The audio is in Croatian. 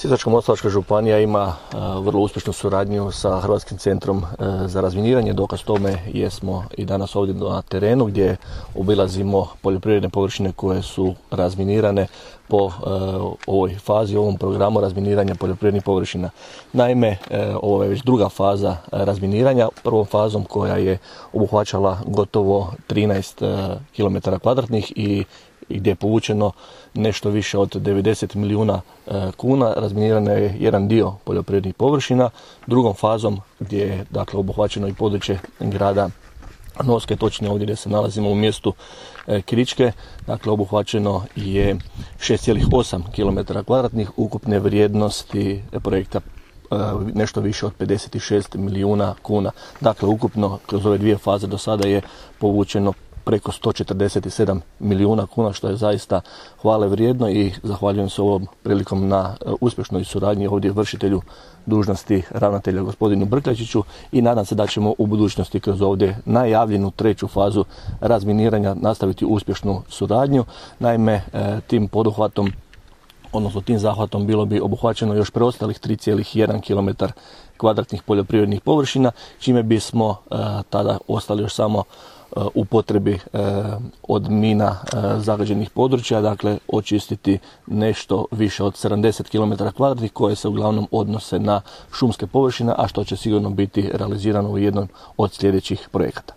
Sisačko-moslavačka županija ima vrlo uspješnu suradnju sa Hrvatskim centrom za razminiranje. Dokaz tome jesmo i danas ovdje na terenu gdje obilazimo poljoprivredne površine koje su razminirane po ovoj fazi, ovom programu razminiranja poljoprivrednih površina. Naime, ovo je već druga faza razminiranja. Prvom fazom koja je obuhvaćala gotovo 13 km2 i gdje je povučeno nešto više od 90 milijuna kuna. Razminirano je jedan dio poljoprivrednih površina. Drugom fazom gdje je obuhvaćeno i područje grada Novske, točnije ovdje gdje se nalazimo u mjestu Kričke, obuhvaćeno je 6,8 km2 ukupne vrijednosti projekta nešto više od 56 milijuna kuna. Dakle, ukupno kroz ove dvije faze do sada je povučeno preko 147 milijuna kuna, što je zaista hvale vrijedno i zahvaljujem se ovom prilikom na uspješnoj suradnji ovdje vršitelju dužnosti ravnatelja gospodinu Brkljačiću i nadam se da ćemo u budućnosti kroz ovdje najavljenu treću fazu razminiranja nastaviti uspješnu suradnju. Naime, tim poduhvatom, odnosno tim zahvatom bilo bi obuhvaćeno još preostalih 3,1 km2 poljoprivrednih površina, čime bismo tada ostali još samo u potrebi od mina zagađenih područja, dakle očistiti nešto više od 70 km2 koje se uglavnom odnose na šumske površine, a što će sigurno biti realizirano u jednom od sljedećih projekata.